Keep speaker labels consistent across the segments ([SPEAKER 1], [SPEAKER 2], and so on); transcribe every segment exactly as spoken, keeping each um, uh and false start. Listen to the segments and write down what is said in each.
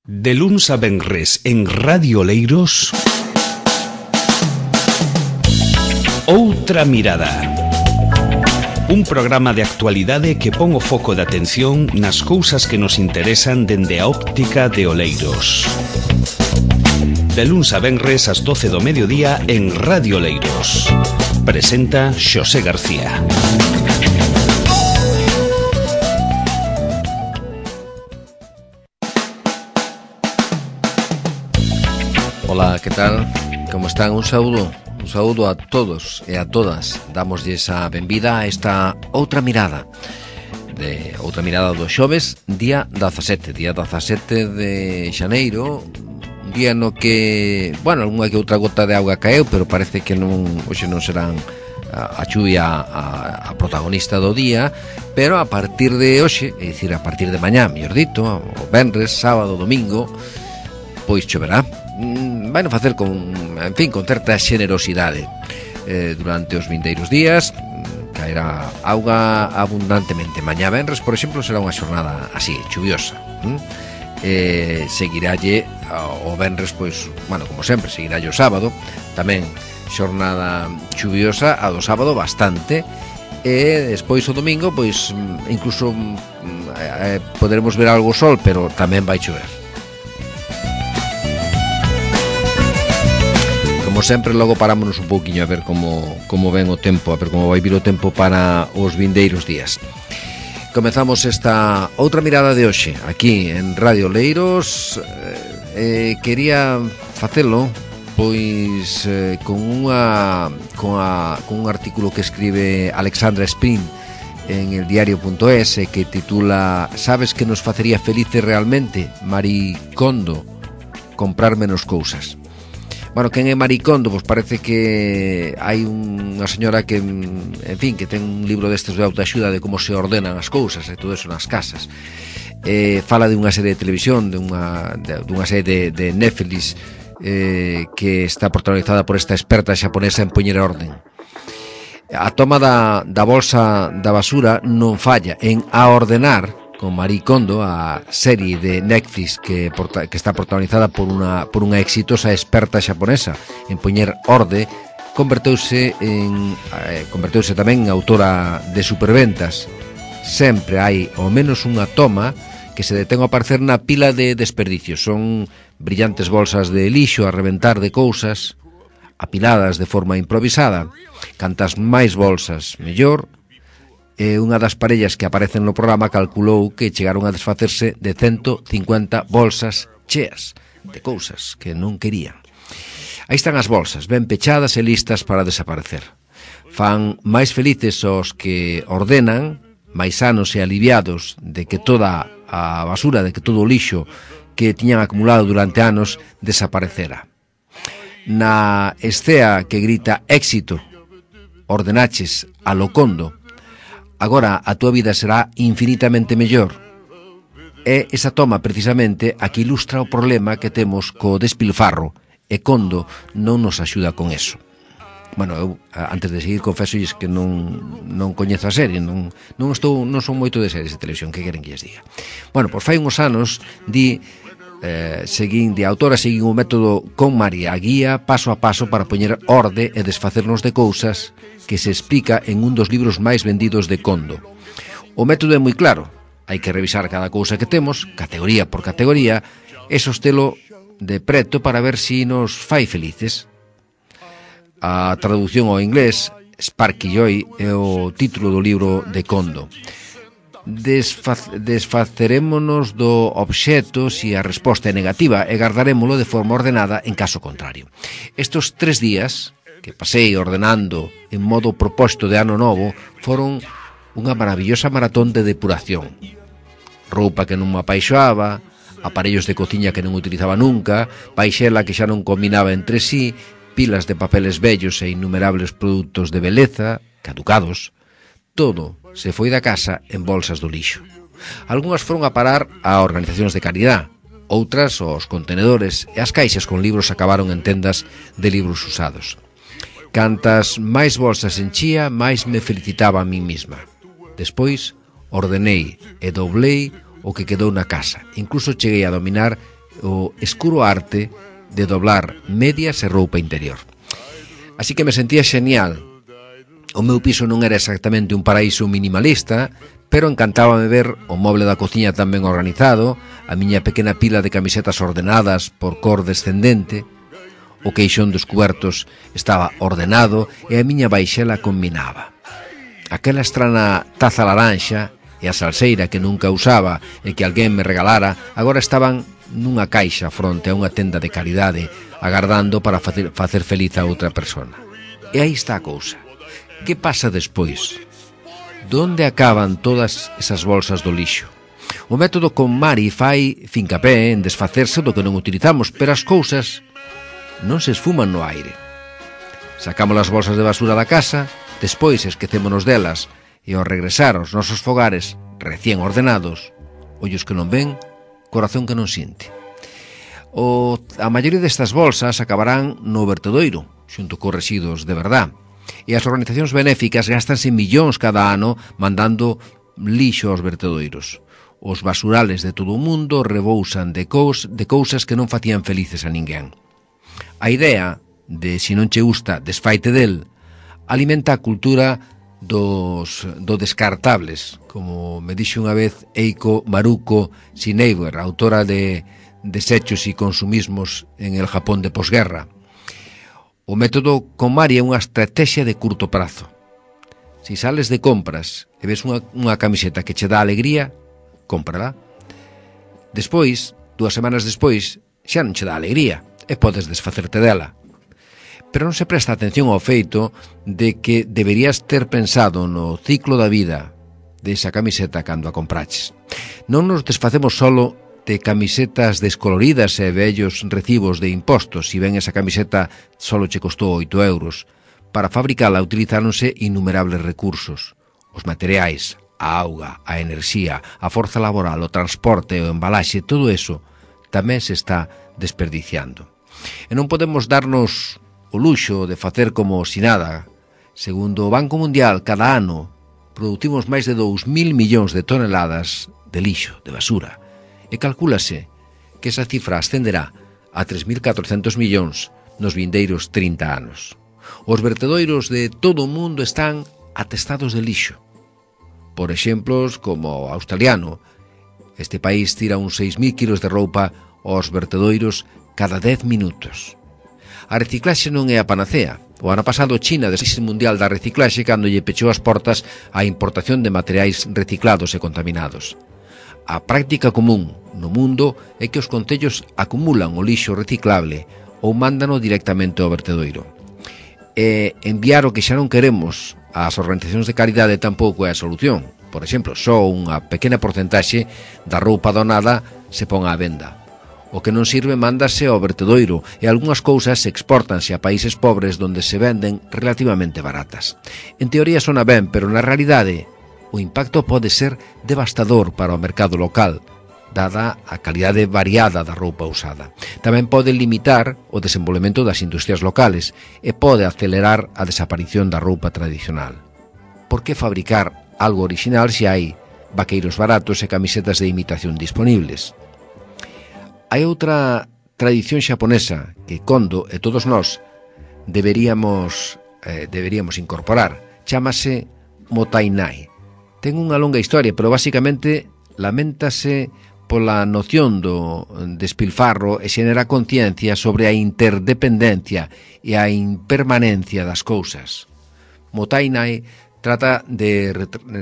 [SPEAKER 1] De luns a venres en Radio Oleiros, Outra Mirada. Un programa de actualidade que pon o foco de atención nas cousas que nos interesan dende a óptica de Oleiros. De luns a venres ás doce do mediodía en Radio Oleiros. Presenta Xosé García.
[SPEAKER 2] Ola, que tal? Como están? Un saúdo, un saúdo a todos e a todas. Damoslles a benvida a esta outra mirada de outra mirada do xoves, día dezasete, día dezasete de xaneiro, un día no que, bueno, algunha que outra gota de auga caeu, pero parece que non, hoxe non serán a, a chuvia a, a protagonista do día, pero a partir de hoxe, é dicir, a partir de mañá, mellor dito, o venres, sábado, domingo, pois choverá. Vai non facer con, en fin, con certa xenerosidade eh, durante os vindeiros días. Caerá auga abundantemente. Mañá venres, por exemplo, será unha xornada así, chuviosa. ¿Mm? Eh, seguiralle o venres, pois, bueno, como sempre, seguiralle o sábado, tamén xornada chuviosa, a do sábado bastante, e despois o domingo, pois, incluso eh, poderemos ver algo sol, pero tamén vai chover. Como sempre, logo parámonos un pouquiño a ver como, como ven o tempo, a ver como vai vir o tempo para os vindeiros días. Comezamos esta outra mirada de hoxe aquí en Radio Oleiros. eh, Quería facelo pois eh, con unha con, a, con un artículo que escribe Alexandra Spring en el diario punto es, que titula "Sabes que nos facería felices realmente? Marie Kondo, comprar menos cousas". Bueno, quen é Marie Kondo? Pois parece que hai unha señora que, en fin, que ten un libro destes de autoaxuda de como se ordenan as cousas e todo eso nas casas. Eh, fala de unha serie de televisión, de unha, de, de unha serie de, de Netflix eh, que está protagonizada por esta experta xaponesa en poñer orden. A toma da, da bolsa da basura non falla en a ordenar, con Marie Kondo, a serie de Netflix que, porta, que está protagonizada por unha, por unha exitosa experta xaponesa en poñer orde, converteuse en eh, converteuse tamén en autora de superventas. Sempre hai ao menos unha toma que se detén a aparecer na pila de desperdicios. Son brillantes bolsas de lixo a reventar de cousas, apiladas de forma improvisada. Cantas máis bolsas, mellor. E unha das parellas que aparecen no programa calculou que chegaron a desfacerse de ciento cincuenta bolsas cheas de cousas que non querían. Aí están as bolsas, ben pechadas e listas para desaparecer. Fan máis felices os que ordenan, máis sanos e aliviados de que toda a basura, de que todo o lixo que tiñan acumulado durante anos desaparecera. Na escea que grita éxito, ordenaches a lo Kondo, agora a túa vida será infinitamente mellor. É esa toma precisamente a que ilustra o problema que temos co despilfarro, e Kondo non nos axuda con eso. Bueno, eu, antes de seguir, confesolles que non, non coñezo a serie, non, non, estou, non son moito de series de televisión, que queren que lles diga. Bueno, pois fai uns anos, di, eh, seguín, de autora, seguín o método con María, a guía paso a paso para poñer orde e desfacernos de cousas, que se explica en un dos libros máis vendidos de Kondo. O método é moi claro. Hai que revisar cada cousa que temos, categoría por categoría, e sostelo de preto para ver si nos fai felices. A traducción ao inglés, Sparky Joy, é o título do libro de Kondo. Desfaz, desfacerémonos do obxeto se a resposta é negativa e gardarémolo de forma ordenada en caso contrario. Estos tres días que pasei ordenando en modo proposto de ano novo foron unha maravillosa maratón de depuración. Roupa que non me apaixoaba, aparellos de cociña que non utilizaba nunca, paixela que xa non combinaba entre sí, pilas de papeles vellos e innumerables produtos de beleza, caducados. Todo se foi da casa en bolsas do lixo. Algúnas foron a parar a organizacións de caridade, outras aos contenedores, e as caixas con libros acabaron en tendas de libros usados. Cantas máis bolsas enchía, máis me felicitaba a mí mesma. Despois ordenei e doblei o que quedou na casa. Incluso cheguei a dominar o escuro arte de doblar medias e roupa interior. Así que me sentía xenial. O meu piso non era exactamente un paraíso minimalista, pero encantábame ver o moble da cociña tan ben organizado, a miña pequena pila de camisetas ordenadas por cor descendente, o queixón dos cubertos estaba ordenado e a miña baixela combinaba. Aquela estrana taza laranxa e a salseira que nunca usaba e que alguén me regalara agora estaban nunha caixa fronte a unha tenda de caridade agardando para facer, facer feliz a outra persona. E aí está a cousa. Que pasa despois? Donde acaban todas esas bolsas do lixo? O método con Mari fai fincapé en desfacerse do que non utilizamos, pero as cousas non se esfuman no aire. Sacamos as bolsas de basura da casa, despois esquecémonos delas e ao regresar aos nosos fogares recén ordenados, ollos que non ven, corazón que non sinte. O, a maioría destas bolsas acabarán no vertedoiro, xunto cos residuos de verdad. E as organizacións benéficas gastanse millóns cada ano mandando lixo aos vertedoiros. Os basurales de todo o mundo rebousan de, cous, de cousas que non facían felices a ninguén. A idea de, se non che gusta, desfaite del, alimenta a cultura dos do descartables, como me dixo unha vez Eiko Maruko Shinobu, autora de Desechos e consumismos en el Japón de posguerra. O método KonMari é unha estrategia de curto prazo. Si sales de compras e ves unha, unha camiseta que che dá alegría, cómprala. Despois, dúas semanas despois, xa non che dá alegría e podes desfacerte dela. Pero non se presta atención ao feito de que deberías ter pensado no ciclo da vida desa camiseta cando a compraches. Non nos desfacemos solo de camisetas descoloridas e vellos recibos de impostos, si ben esa camiseta solo che costou oito euros. Para fabricala utilizáronse innumerables recursos. Os materiais, a auga, a enerxía, a forza laboral, o transporte, o embalaxe, todo eso tamén se está desperdiciando. E non podemos darnos o luxo de facer como si nada. Segundo o Banco Mundial, cada ano producimos máis de dous mil millóns de toneladas de lixo, de basura. E calcúlase que esa cifra ascenderá a tres mil catrocentos millóns nos vindeiros trinta anos. Os vertedoiros de todo o mundo están atestados de lixo. Por exemplos como o australiano. Este país tira uns seis mil kilos de roupa aos vertedoiros cada dez minutos. A reciclaxe non é a panacea. O ano pasado China desiste mundial da reciclaxe cando lle pechou as portas á importación de materiais reciclados e contaminados. A práctica común no mundo é que os concellos acumulan o lixo reciclable ou mándano directamente ao vertedoiro. E enviar o que xa non queremos ás organizacións de caridade tampouco é a solución. Por exemplo, só unha pequena porcentaxe da roupa donada se pon á venda. O que non sirve mándase ao vertedoiro e algunhas cousas exportanse a países pobres donde se venden relativamente baratas. En teoría sona ben, pero na realidade o impacto pode ser devastador para o mercado local, dada a calidade variada da roupa usada. Tamén pode limitar o desenvolvemento das industrias locales e pode acelerar a desaparición da roupa tradicional. Por que fabricar algo original se hai vaqueiros baratos e camisetas de imitación disponibles? Hai outra tradición xaponesa que Kondo e todos nós deberíamos, eh, deberíamos incorporar. Chámase Motainai. Ten unha longa historia, pero basicamente laméntase pola noción do despilfarro e xenera conciencia sobre a interdependencia e a impermanencia das cousas. Motainai trata de,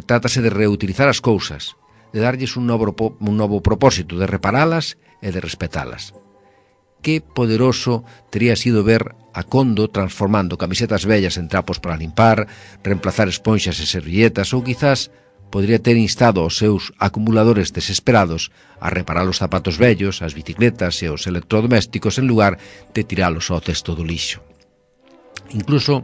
[SPEAKER 2] trátase de reutilizar as cousas, de darlles un novo, un novo propósito, de reparalas e de respetalas. Que poderoso tería sido ver a Kondo transformando camisetas vellas en trapos para limpar, reemplazar esponxas e servilletas ou quizás podría ter instado aos seus acumuladores desesperados a reparar os zapatos vellos, as bicicletas e os electrodomésticos en lugar de tiralos ao cesto do lixo. Incluso,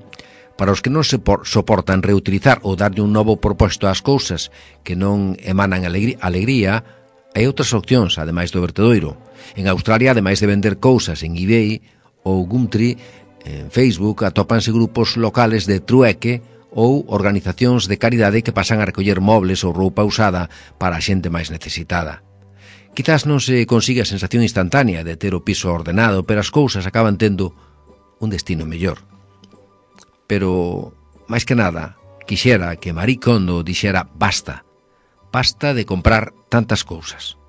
[SPEAKER 2] para os que non se soportan reutilizar ou darlle un novo propósito ás cousas que non emanan alegría, hai outras opcións, ademais do vertedoiro. En Australia, ademais de vender cousas en eBay ou Gumtree, en Facebook atópanse grupos locales de trueque ou organizacións de caridade que pasan a recoller mobles ou roupa usada para a xente máis necesitada. Quizás non se consiga a sensación instantánea de ter o piso ordenado, pero as cousas acaban tendo un destino mellor. Pero, máis que nada, quixera que Marie Kondo dixera basta, basta de comprar tantas cousas.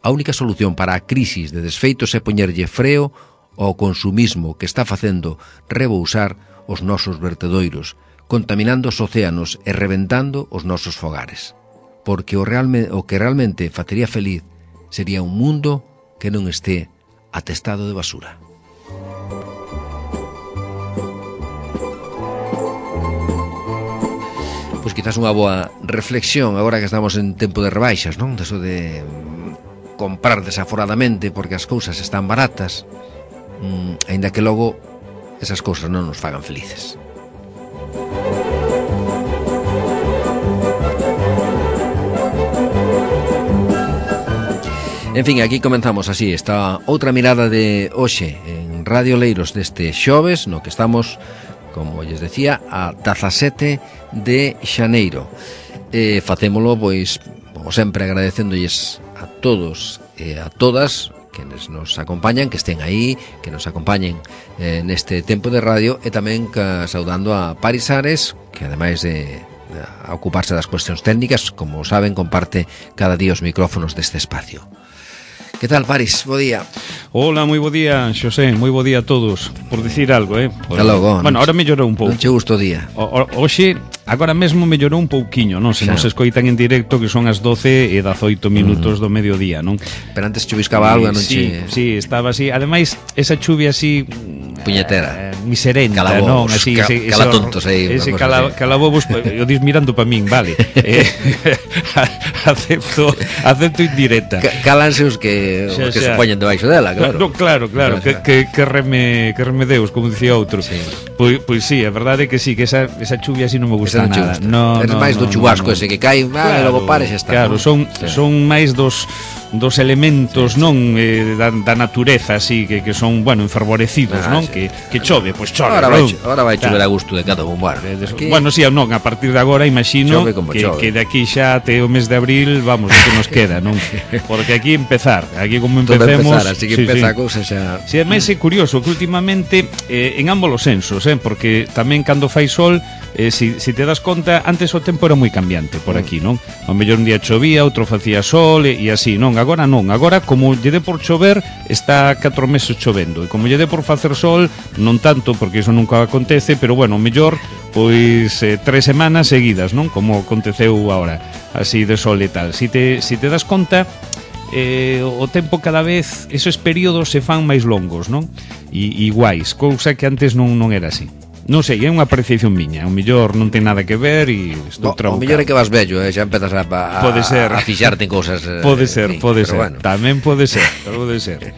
[SPEAKER 2] A única solución para a crisis de desfeitos é poñerlle freo ao consumismo que está facendo rebousar os nosos vertedoiros, contaminando os océanos e reventando os nosos fogares. Porque o, realme, o que realmente facería feliz sería un mundo que non este atestado de basura. Pois quizás unha boa reflexión agora que estamos en tempo de rebaixas, non? Deso de comprar desaforadamente porque as cousas están baratas, mmm, aínda que logo esas cousas non nos fagan felices. En fin, aquí comenzamos así esta outra mirada de hoxe en Radio Leiros deste xoves, no que estamos, como lles decía, a dezasete de xaneiro. E facémolo, pois, como sempre, agradecéndolles a todos e a todas quenes nos acompañan, que estén aí, que nos acompañen eh, neste tempo de radio, e tamén ca, saudando a Paris Ares, que ademais de, de ocuparse das cuestións técnicas, como saben, comparte cada día os micrófonos deste espacio. Que tal, Paris? Bo día.
[SPEAKER 1] Hola, moi bo día, Xosé, moi bo día a todos. Por dicir algo, eh? Por...
[SPEAKER 2] Logo,
[SPEAKER 1] bueno, ahora mellorou un pouco.
[SPEAKER 2] Non che gusto o día.
[SPEAKER 1] O, o, oxe, agora mesmo mellorou un pouquiño, non? Se non se escoitan en directo, que son as doce e dezaoito minutos uh-huh. do mediodía, non?
[SPEAKER 2] Pero antes chuviscaba algo, non
[SPEAKER 1] sí,
[SPEAKER 2] che...
[SPEAKER 1] Sí, estaba así. Ademais, esa chuvia así...
[SPEAKER 2] puñetera.
[SPEAKER 1] Eh, miserenta,
[SPEAKER 2] calabobos,
[SPEAKER 1] non? Así,
[SPEAKER 2] ca,
[SPEAKER 1] ese,
[SPEAKER 2] calatontos aí.
[SPEAKER 1] Ese cala, calabobos, eu dis mirando pa min, vale. eh, acepto, acepto indirecta.
[SPEAKER 2] C Cálanse os que, os que se poñen debaixo dela, claro.
[SPEAKER 1] No, claro, claro, que, que, que, reme, que remedeus, como dicía outro. Sí. Pois, pois sí, a verdade é que sí, que esa, esa chuvia así non me gusta
[SPEAKER 2] esa
[SPEAKER 1] nada.
[SPEAKER 2] Gusta.
[SPEAKER 1] No,
[SPEAKER 2] es
[SPEAKER 1] no,
[SPEAKER 2] máis
[SPEAKER 1] no,
[SPEAKER 2] do chubasco
[SPEAKER 1] no, no.
[SPEAKER 2] ese que cae, claro, e logo pares e está.
[SPEAKER 1] Claro,
[SPEAKER 2] ¿no?
[SPEAKER 1] son,
[SPEAKER 2] sí.
[SPEAKER 1] son máis dos dos elementos, sí, non, eh, da, da natureza así que, que son, bueno, enfervorecidos, ah, non? Sí. Que, que chove, pois chove.
[SPEAKER 2] Ahora vai, ahora vai chover a gusto de cada un, bueno.
[SPEAKER 1] Aquí... Bueno, sí, non, a partir de agora imagino que, que de aquí xa até o mes de abril, vamos, o que nos queda, non? Porque aquí empezar, aquí como empecemos,
[SPEAKER 2] empezar, así que sí, empeza sí. a cousa xa.
[SPEAKER 1] Si, sí, ademais é curioso que últimamente eh, en ambos os sensos, eh, porque tamén cando fai sol, eh, si, si te das conta, antes o tempo era moi cambiante por aquí, non? O mellor un día chovía, outro facía sol e, e así, non? Agora non, agora como lle dé por chover, está catro meses chovendo, e como lle dé por facer sol, non tanto, porque iso nunca acontece, pero bueno, o mellor pois eh, tres semanas seguidas, non? Como aconteceu agora, así de sol e tal. Si te, si te das conta, eh, o tempo cada vez, esos períodos se fan máis longos, non? E iguais, cousa que antes non, non era así. Non sei, é unha apreciación miña. O mellor non ten nada que ver e estou trabucado.
[SPEAKER 2] O mellor é que vas vello, eh? Xa empezas a, a,
[SPEAKER 1] pode ser.
[SPEAKER 2] a fixarte en cousas. Eh,
[SPEAKER 1] pode ser,
[SPEAKER 2] fin,
[SPEAKER 1] pode ser.
[SPEAKER 2] Bueno.
[SPEAKER 1] Tamén pode ser, pode ser.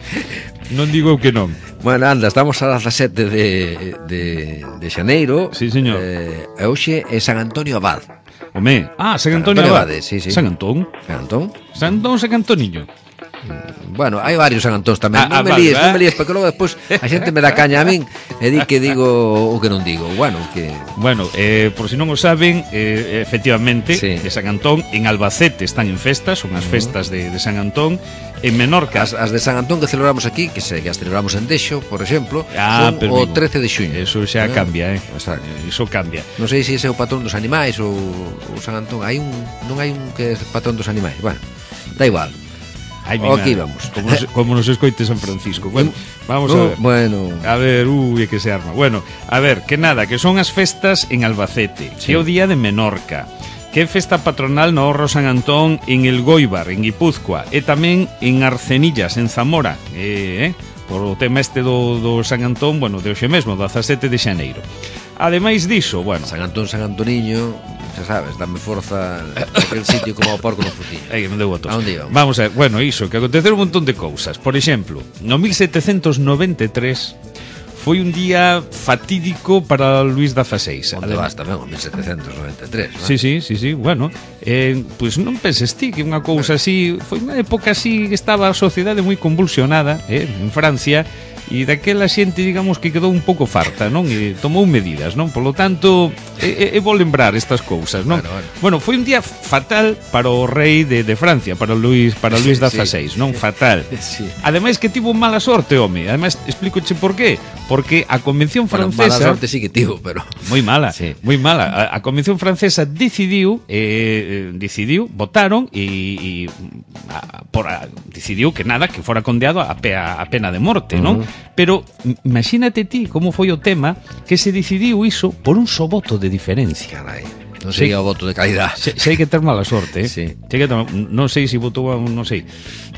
[SPEAKER 1] Non digo que non.
[SPEAKER 2] Bueno, anda, estamos a dezasete de, de, de xaneiro.
[SPEAKER 1] Sí, señor.
[SPEAKER 2] Eh, e hoxe é San Antonio Abad.
[SPEAKER 1] Home, ah, San Antonio, Antonio Abad.
[SPEAKER 2] Abade, sí, sí.
[SPEAKER 1] San Antón.
[SPEAKER 2] San Antón.
[SPEAKER 1] San Antón, San Antoniño.
[SPEAKER 2] Bueno, hai varios San Antóns tamén.
[SPEAKER 1] Ah,
[SPEAKER 2] non me
[SPEAKER 1] vale,
[SPEAKER 2] líes,
[SPEAKER 1] eh?
[SPEAKER 2] non me líes, porque logo despois a xente me dá caña a min e di que digo o que non digo. Bueno, que
[SPEAKER 1] Bueno, eh, por si non o saben, eh, efectivamente,
[SPEAKER 2] sí.
[SPEAKER 1] de San Antón en Albacete están en festas, son as festas de, de San Antón. En Menorca,
[SPEAKER 2] as, as de San Antón que celebramos aquí, que se que as celebramos en Deixo, por exemplo,
[SPEAKER 1] ah,
[SPEAKER 2] son o trece de xuño.
[SPEAKER 1] Eso xa
[SPEAKER 2] ¿no?
[SPEAKER 1] cambia, eh.
[SPEAKER 2] Exacto.
[SPEAKER 1] Eso cambia.
[SPEAKER 2] Non sei se ese é o patrón dos animais ou o San Antón. Hai un non hai un que é patrón dos animais. Bueno, da igual.
[SPEAKER 1] Ay,
[SPEAKER 2] aquí vamos.
[SPEAKER 1] Como nos, como nos escoite San Francisco. Bueno, vamos
[SPEAKER 2] no,
[SPEAKER 1] a ver.
[SPEAKER 2] Bueno.
[SPEAKER 1] A ver, uy, que se arma. Bueno, a ver, que nada, que son as festas en Albacete, sí. Que é o día de Menorca, que é festa patronal no Horro San Antón en El Goibar, en Guipúzcoa, e tamén en Arcenillas, en Zamora, eh, eh, por o tema este do, do San Antón, bueno, de hoxe mesmo, dezasete de xaneiro. Ademais diso, bueno,
[SPEAKER 2] San Antón, San Antoniño, xa sabes, dame forza aquel sitio como o porco no frutillo.
[SPEAKER 1] Aí, non deu votos.
[SPEAKER 2] A onde íbamos?
[SPEAKER 1] Vamos a ver, bueno, iso, que aconteceron un montón de cousas. Por exemplo, no mil setecentos noventa e tres foi un día fatídico para Luís dezaseis.
[SPEAKER 2] Onde vas tamén, o mil setecentos noventa e tres, non?
[SPEAKER 1] Sí, sí, sí, sí, bueno, eh, pois pues non penses ti que unha cousa así, foi unha época así que estaba a sociedade moi convulsionada, eh, en Francia, e daquela xente, digamos, que quedou un pouco farta, non? E tomou medidas, non? Por lo tanto, é, é vou lembrar estas cousas, non?
[SPEAKER 2] Bueno, bueno.
[SPEAKER 1] Bueno, foi un día fatal para o rei de, de Francia, para Luis, para Luis dieciséis, sí, non? Fatal.
[SPEAKER 2] Sí.
[SPEAKER 1] Ademais que tivo mala sorte, home. Ademais, explícoche por qué. Porque a Convención Francesa...
[SPEAKER 2] Bueno, mala sorte sí que tivo, pero...
[SPEAKER 1] Moi mala,
[SPEAKER 2] sí.
[SPEAKER 1] moi mala. A, a Convención Francesa decidiu, eh, decidiu, votaron e, e a, por a, decidiu que nada, que fora condeado a, pe, a pena de morte, non? Uh-huh. Pero imagínate ti como foi o tema que se decidiu iso por un só voto de diferencia.
[SPEAKER 2] Carai, non sei o voto de calidad.
[SPEAKER 1] Se, se hai que ter mala sorte, eh?
[SPEAKER 2] Sí.
[SPEAKER 1] Se hai que ter, non sei se votou, non sei.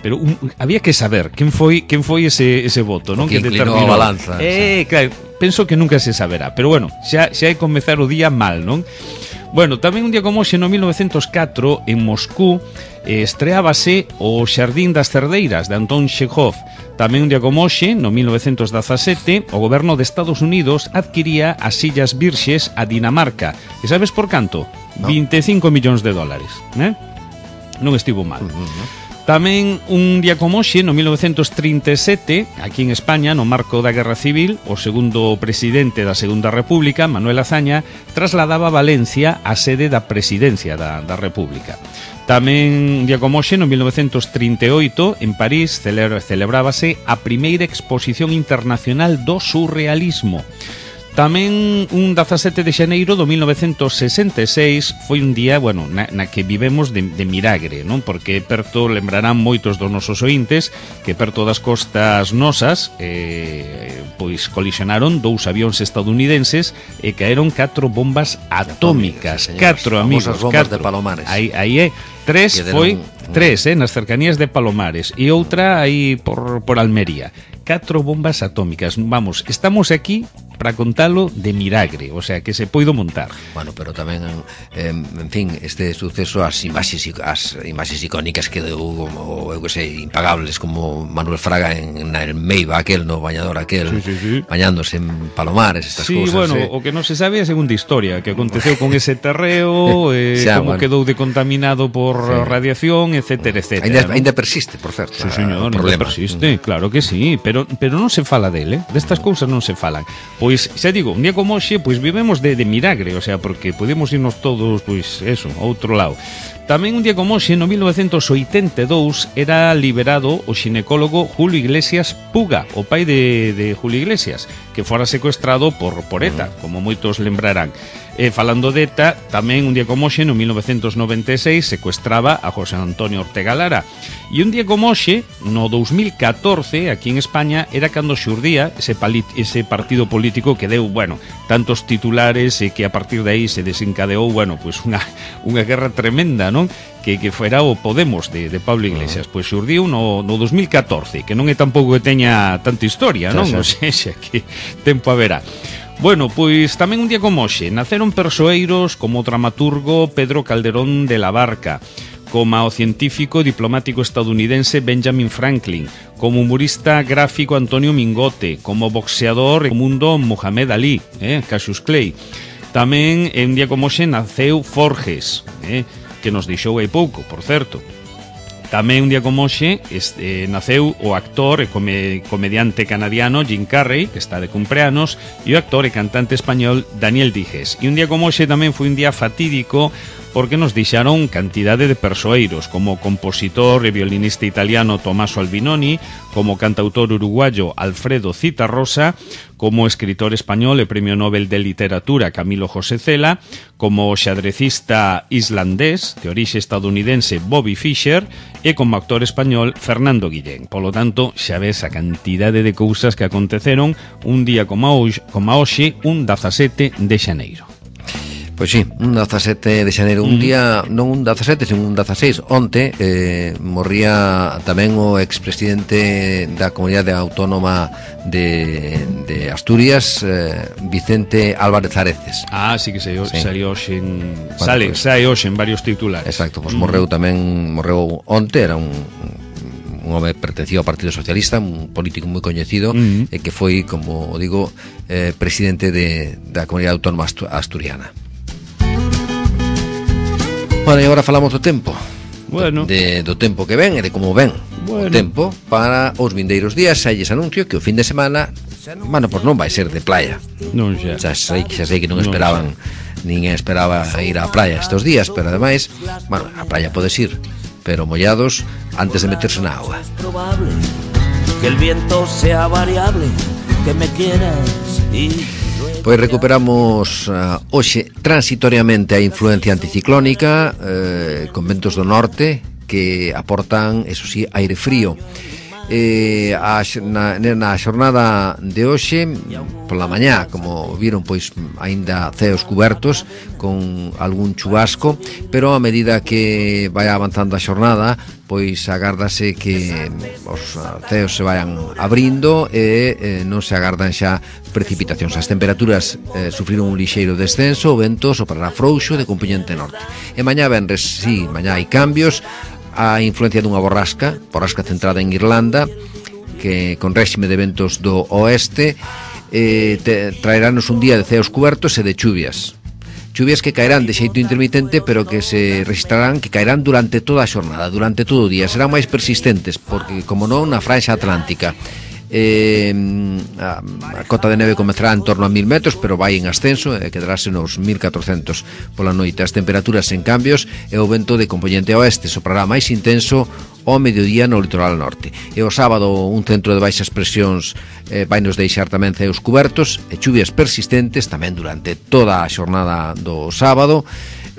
[SPEAKER 1] Pero un, había que saber quen foi quen foi ese ese voto, non?
[SPEAKER 2] Que inclinou a balanza.
[SPEAKER 1] Eh, claro, penso que nunca se saberá, pero bueno, xa xa hai que comezar o día mal, non? Bueno, tamén un día como hoxe, no mil novecentos catro, en Moscú, eh, estreábase o Xardín das Cerdeiras, de Antón Chekhov. Tamén un día como hoxe, no mil novecentos dezasete, o goberno de Estados Unidos adquiría as Illas Virxes a Dinamarca. E sabes por canto? No. vinte e cinco millóns de dólares, eh? Non estivo mal. Uh-huh. Tamén un día como hoxe, no mil novecentos trinta e sete, aquí en España, no marco da Guerra Civil, o segundo presidente da Segunda República, Manuel Azaña, trasladaba a Valencia a sede da presidencia da, da República. Tamén un día como hoxe, no mil novecentos trinta e oito, en París, celebrábase a primeira exposición internacional do surrealismo. Tamén un dezasete de xaneiro do mil novecentos sesenta e seis foi un día, bueno, na, na que vivemos de, de milagre, non? Porque perto, lembrarán moitos dos nosos ointes, que perto das costas nosas eh, pois colisionaron dous avións estadounidenses e caeron catro bombas atómicas, catro amigos,
[SPEAKER 2] bombas
[SPEAKER 1] catro.
[SPEAKER 2] de Palomares.
[SPEAKER 1] Aí, aí é, tres foi, tres, eh, nas cercanías de Palomares e outra aí por, por Almería. Catro bombas atómicas. Vamos, estamos aquí para contalo de milagre, o sea, que se poido montar.
[SPEAKER 2] Bueno, pero tamén, eh, en fin, este suceso, as imaxes, as imaxes icónicas que deu, como, eu que sei, impagables, como Manuel Fraga en, en Meiba, aquel, no bañador aquel, sí, sí, sí. bañándose en Palomares, estas
[SPEAKER 1] sí,
[SPEAKER 2] cousas.
[SPEAKER 1] Sí, bueno,
[SPEAKER 2] eh.
[SPEAKER 1] o que non se sabe é a segunda historia, que aconteceu con ese terreo, eh, xa, como bueno. quedou decontaminado por sí. radiación, etcétera, etcétera.
[SPEAKER 2] Ainda,
[SPEAKER 1] ¿no?
[SPEAKER 2] ainda persiste, por certo.
[SPEAKER 1] Sí, señor, ainda persiste, mm. claro que sí, pero, pero non se fala dele, eh? Destas cousas non se falan. Pois, xa digo, un día como hoxe, pois vivemos de, de milagre, o sea, porque podemos irnos todos, pois, eso, a outro lado. Tamén un día como hoxe, no mil novecentos oitenta e dous, era liberado o xinecólogo Julio Iglesias Puga, o pai de, de Julio Iglesias, que fora secuestrado por, por ETA, como moitos lembrarán. E falando de ETA, tamén un día como hoxe, no mil novecentos noventa e seis, secuestraba a José Antonio Ortega Lara. E un día como hoxe, no dous mil catorce, aquí en España, era cando xurdía ese, ese partido político que deu, bueno, tantos titulares e que a partir de aí se desencadeou, bueno, pues unha, unha guerra tremenda, non? Que, que fuera o Podemos de, de Pablo Iglesias. Pois xurdiu no, no dous mil catorce, que non é tampouco que teña tanta historia, non? Non sei xa que tempo haberá. Bueno, pois tamén un día como hoxe naceron persoeiros como o dramaturgo Pedro Calderón de la Barca, como o científico e diplomático estadounidense Benjamin Franklin, como humorista gráfico Antonio Mingote, como boxeador e mundo Muhammad Ali, eh, Cassius Clay. Tamén un día como hoxe naceu Forges, eh, que nos deixou hai pouco, por certo. Tamén un día como hoxe este, naceu o actor e come, comediante canadiano Jim Carrey, que está de cumpleanos, e o actor e cantante español Daniel Dijes. E un día como hoxe tamén foi un día fatídico porque nos deixaron cantidade de persoeiros, como o compositor e violinista italiano Tommaso Albinoni, como cantautor uruguayo Alfredo Zitarrosa, como escritor español e premio Nobel de Literatura Camilo José Cela, como o xadrecista islandés de orixe estadounidense Bobby Fischer e como actor español Fernando Guillén. Polo tanto, xa ves a cantidade de cousas que aconteceron un día como hoxe, como hoxe un dezasete de xaneiro.
[SPEAKER 2] Pois sí, un dezasete de xaneiro, un mm. día, non un dezasete, sino un dezaseis, onte eh, morría tamén o expresidente da Comunidade Autónoma de, de Asturias, eh, Vicente Álvarez Areces.
[SPEAKER 1] Ah, sí que salió, sí. salió hoxe en, bueno, sale, pues, sai hoxe en varios titulares.
[SPEAKER 2] Exacto, pois pues mm. morreu tamén, morreu onte, era un, un home pertencido ao Partido Socialista, un político moi coñecido, mm. e que foi, como digo, eh, presidente de, da Comunidade Autónoma Asturiana. Bueno, e agora falamos do tempo. bueno. de, do tempo que ven e de como ven bueno. o tempo para os vindeiros días. Xa lles anuncio que o fin de semana, bueno, pois non vai ser de playa.
[SPEAKER 1] Non xa.
[SPEAKER 2] Xa sei, xa sei que non esperaban, non ninguén esperaba ir á playa estes días, pero ademais, bueno, a playa podes ir, pero mollados antes de meterse na agua.
[SPEAKER 3] Que el viento sea variable, que me quieras y...
[SPEAKER 2] Pois recuperamos uh, hoxe transitoriamente a influencia anticiclónica eh, con ventos do norte que aportan, eso sí, aire frío. Eh, a, na, na xornada de hoxe pola mañá, como viron, pois aínda ceos cubertos con algún chubasco, pero a medida que vai avanzando a xornada, pois agárdase que os ceos se vayan abrindo e eh, non se agardan xa precipitacións. As temperaturas eh, sufriron un lixeiro descenso, o vento soprará frouxo de compoñente norte. E mañá venres, sí, mañá hai cambios, a influencia dunha borrasca, borrasca centrada en Irlanda, que con réxime de ventos do oeste, eh, te, traerános un día de ceos cubertos e de chuvias. Chuvias que caerán de xeito intermitente, pero que se registrarán, que caerán durante toda a xornada, durante todo o día. Serán máis persistentes, porque, como non, na franxa atlántica. Eh, a, a cota de neve comezará en torno a mil metros, pero vai en ascenso e quedarase nos mil catrocentos pola noite. As temperaturas en cambios e o vento de compoñente oeste soprará máis intenso ao mediodía no litoral norte. E o sábado un centro de baixas presións eh, vai nos deixar tamén ceos cubertos e chuvias persistentes tamén durante toda a xornada do sábado.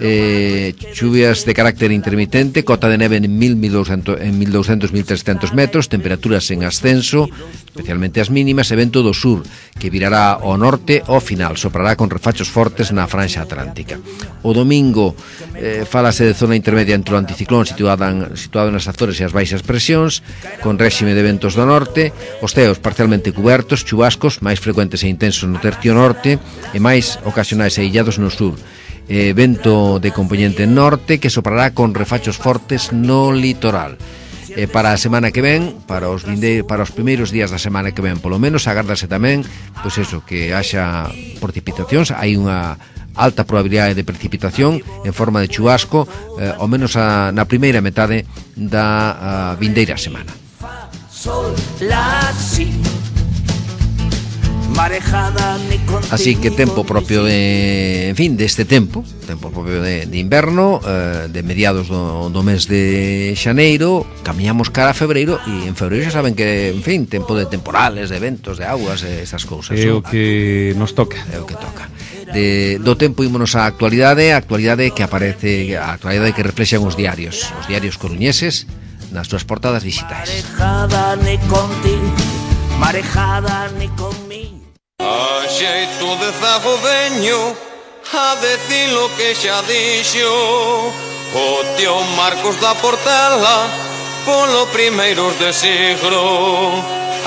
[SPEAKER 2] Eh, chuvias de carácter intermitente, cota de neve en mil, mil doscientos, en mil doscientos, mil trescientos metros, temperaturas en ascenso, especialmente as mínimas, e vento do sur que virará ao norte ao final, soprará con refachos fortes na franxa atlántica. O domingo eh, falase de zona intermedia entre o anticiclón situado, en, situado nas Azores e as baixas presións, con réxime de ventos do norte, os ceos parcialmente cubertos, chubascos máis frecuentes e intensos no tercio norte e máis ocasionais e illados no sur. Eh, vento de compoñente norte que soprará con refachos fortes no litoral. Eh, para a semana que ven, para os vinde, para os primeiros días da semana que ven, polo menos agárdase tamén, pois eso, que haxa precipitacións. Hai unha alta probabilidade de precipitación en forma de chubasco, eh, ao menos a, na primeira metade da a, vindeira semana. Sol, la, si. Así que tempo propio de, en fin, deste tempo, tempo propio de, de inverno, eh, de mediados do, do mes de xaneiro, camiñamos cara a febreiro, e en febreiro xa saben que, en fin, tempo de temporales, de ventos, de aguas, e esas cousas.
[SPEAKER 1] É o que nos toca.
[SPEAKER 2] É o que toca. De, do tempo ímonos á actualidade, a actualidade que aparece, a actualidade que reflexan os diarios, os diarios coruñeses nas súas portadas digitais. Marejada ni contigo, marejada ni conmigo.
[SPEAKER 4] A xeito de zago veño a decir lo que xa dixo o tío Marcos da Portela polo primeiros de siglo,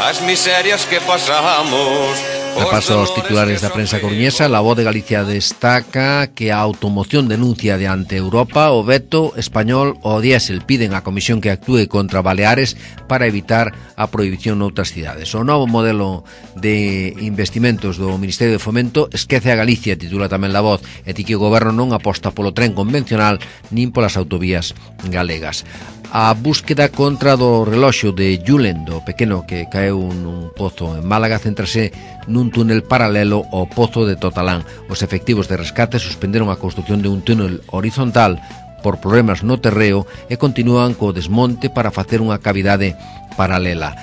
[SPEAKER 4] as miserias que pasamos.
[SPEAKER 2] Repaso aos titulares da prensa coruñesa. La Voz de Galicia destaca que a automoción denuncia de ante Europa o veto español ao diésel. Piden á Comisión que actúe contra Baleares para evitar a prohibición noutras cidades. O novo modelo de investimentos do Ministerio de Fomento esquece a Galicia, titula tamén La Voz, e di que o goberno non aposta polo tren convencional nin polas autovías galegas. A búsqueda contra do reloxo de Julen, do pequeno que caeu nun pozo en Málaga, céntrase nun túnel paralelo ao pozo de Totalán. Os efectivos de rescate suspenderon a construción de un túnel horizontal por problemas no terreo e continúan co desmonte para facer unha cavidade paralela.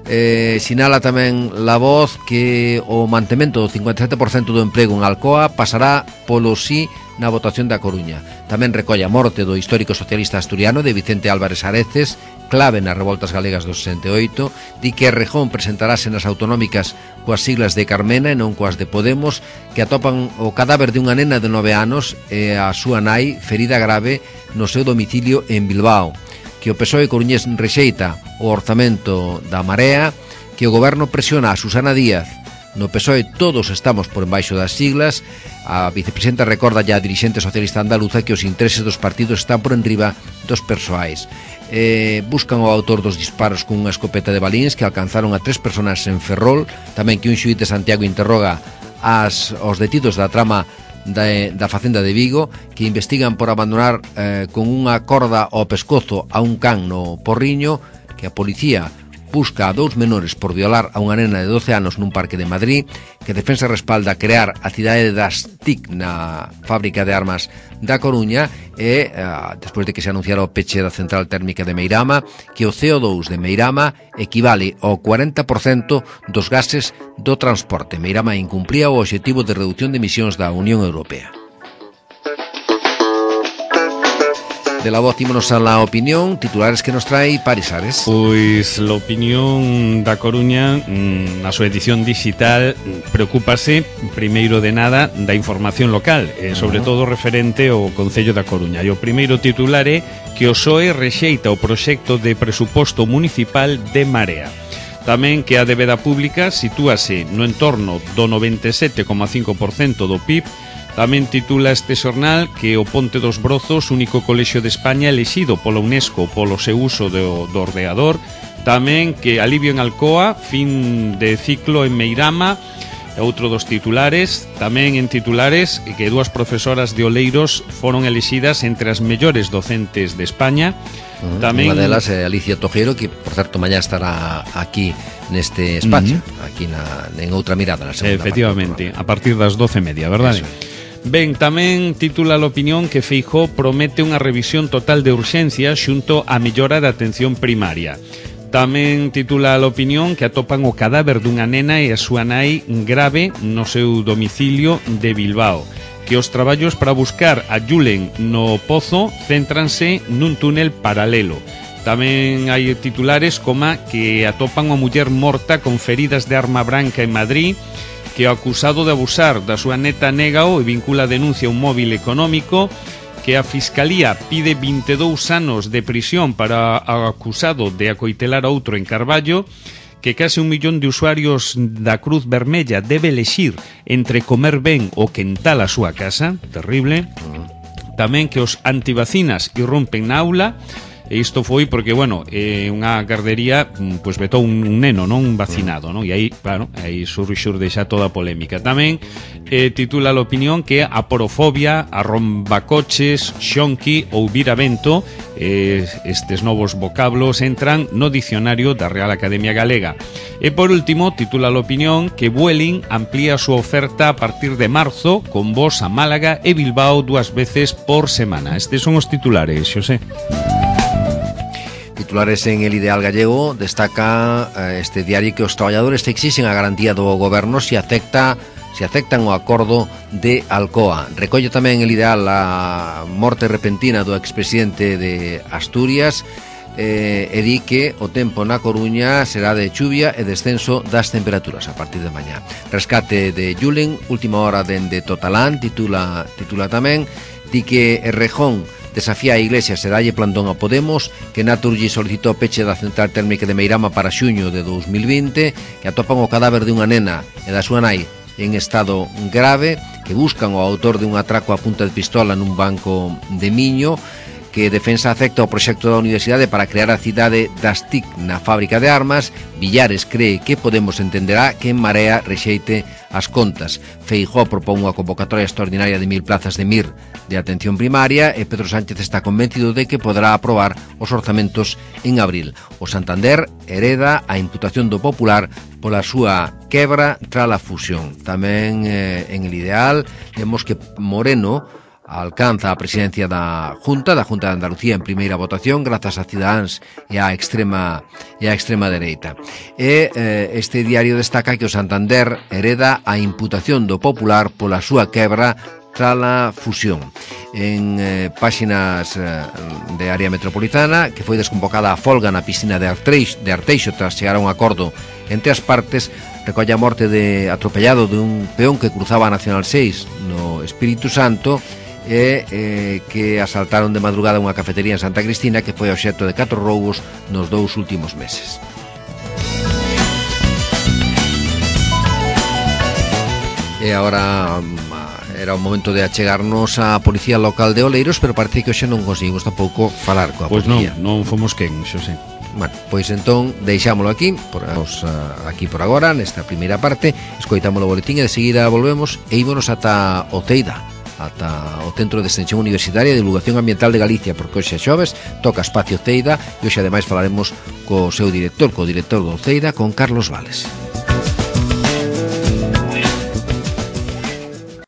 [SPEAKER 2] Eh, sinala tamén La Voz que o mantemento do cincuenta e sete por cento do emprego en Alcoa pasará polo sí na votación da Coruña. Tamén recolle a morte do histórico socialista asturiano de Vicente Álvarez Areces, clave nas revoltas galegas do sesenta e oito, di que Errejón presentarase nas autonómicas coas siglas de Carmena e non coas de Podemos, que atopan o cadáver de unha nena de nove anos e a súa nai ferida grave no seu domicilio en Bilbao, que o P S O E coruñés rexeita o orzamento da Marea, que o goberno presiona a Susana Díaz. No P S O E todos estamos por embaixo das siglas. A vicepresidenta recorda ya a dirixente socialista andaluza que os intereses dos partidos están por enriba dos persoais. Eh, buscan o autor dos disparos cunha escopeta de balíns que alcanzaron a tres personas en Ferrol. Tamén que un xuíz de Santiago interroga as, os detidos da trama da, da Facenda de Vigo, que investigan por abandonar eh, con unha corda ao pescozo a un can no Porriño, que a policía busca a dous menores por violar a unha nena de doce anos nun parque de Madrid, que Defensa respalda crear a cidade das T I C na fábrica de armas da Coruña e, uh, despois de que se anunciara o peche da central térmica de Meirama, que o C O dous de Meirama equivale ao cuarenta por cento dos gases do transporte. Meirama incumpría o obxectivo de reducción de emisións da Unión Europea. De la voz ímonos a la opinión, titulares que nos trae Paris Ares.
[SPEAKER 1] Pois a opinión da Coruña na súa edición digital preocúpase primeiro de nada da información local, e sobre todo referente ao Concello da Coruña. E o primeiro titular é que o P S O E rexeita o proxecto de presuposto municipal de Marea. Tamén que a débeda pública sitúase no entorno do noventa e sete coma cinco por cento do P I B. Tamén titula este xornal que o Ponte dos Brozos, único colexio de España elixido pola UNESCO polo seu uso do, do ordenador. Tamén que alivio en Alcoa, fin de ciclo en Meirama, outro dos titulares. Tamén en titulares que dúas profesoras de Oleiros foron elixidas entre as mellores docentes de España.
[SPEAKER 2] Uh, Tamén unha delas é Alicia Tojero, que por certo mañá estará aquí neste espacio, uh-huh. aquí na, en outra mirada na segunda.
[SPEAKER 1] Efectivamente, parte a partir das doce e media, verdade? Eso. Ben, tamén titula a opinión que Feijóo promete unha revisión total de urxencia xunto á mellora da atención primaria. Tamén titula a opinión que atopan o cadáver dunha nena e a súa nai grave no seu domicilio de Bilbao. Que os traballos para buscar a Julen no pozo céntranse nun túnel paralelo. Tamén hai titulares como que atopan unha muller morta con feridas de arma branca en Madrid, que o acusado de abusar da súa neta négao e vincula a denuncia a un móvil económico, que a Fiscalía pide vinte e dous anos de prisión para o acusado de acoitelar a outro en Carballo, que case un millón de usuarios da Cruz Vermella debe elexir entre comer ben ou quentar a súa casa, terrible. Tamén que os antivacinas irrompen na aula. E isto foi porque, bueno, eh, unha gardería pois vetou un, un neno, non un vacinado, non? E aí, claro, aí surxurde xa toda a polémica. Tamén eh, titula a opinión que a porofobia, a rombacoches, xonqui ou viravento, eh, estes novos vocablos entran no dicionario da Real Academia Galega. E por último, titula a opinión que Vueling amplía a súa oferta a partir de marzo con voos a Málaga e Bilbao dúas veces por semana. Estes son os titulares, Xosé.
[SPEAKER 2] Titulares en El Ideal Gallego destaca eh, este diario que os traballadores exixen a garantía do goberno se acepta se aceptan o acordo de Alcoa. Recolle tamén El Ideal a morte repentina do expresidente de Asturias eh, e di que o tempo na Coruña será de chuvia e descenso das temperaturas a partir de mañá. Rescate de Julen, última hora dende Totalán, titula, titula tamén, di que Errejón desafía a Iglesias e dalle plantón a Podemos, que Naturgy solicitou peche da central térmica de Meirama para xuño de dous mil vinte, que atopan o cadáver de unha nena e da súa nai en estado grave, que buscan o autor de un atraco a punta de pistola nun banco de Miño, que Defensa acepta o proxecto da Universidade para crear a cidade das T I C na fábrica de armas. Villares cree que Podemos entenderá que en Marea rexeite as contas. Feijóo propón unha convocatoria extraordinaria de mil plazas de M I R de atención primaria e Pedro Sánchez está convencido de que poderá aprobar os orzamentos en abril. O Santander hereda a imputación do Popular pola súa quebra tras a fusión. Tamén eh, en El Ideal vemos que Moreno alcanza a presidencia da Junta, da Junta de Andalucía en primeira votación grazas a Cidadáns e a extrema e a extrema dereita. E eh, este diario destaca que o Santander hereda a imputación do Popular pola súa quebra tras a fusión. En eh, páxinas eh, de área metropolitana, que foi desconvocada a folga na piscina de Arteixo, de Arteixo tras chegar a un acordo entre as partes, recolle a morte de atropellado de un peón que cruzaba a Nacional seis no Espírito Santo e eh, que asaltaron de madrugada unha cafetería en Santa Cristina, que foi obxecto de catro roubos nos dous últimos meses. E agora era o momento de achegarnos á Policía Local de Oleiros, pero parece que hoxe non conseguimos tampouco falar coa
[SPEAKER 1] pois
[SPEAKER 2] policía.
[SPEAKER 1] Pois non, non fomos quen, Xosé.
[SPEAKER 2] Bueno, pois entón deixámolo aquí por, os, uh, aquí por agora, nesta primeira parte. Escoitámolo o boletín e de seguida volvemos e ímonos ata o Teida. ata o Centro de Extensión Universitaria de Divulgación Ambiental de Galicia, porque hoxe xoves toca Espacio Ceida e hoxe ademais falaremos co seu director, co director do Ceida, con Carlos Vales.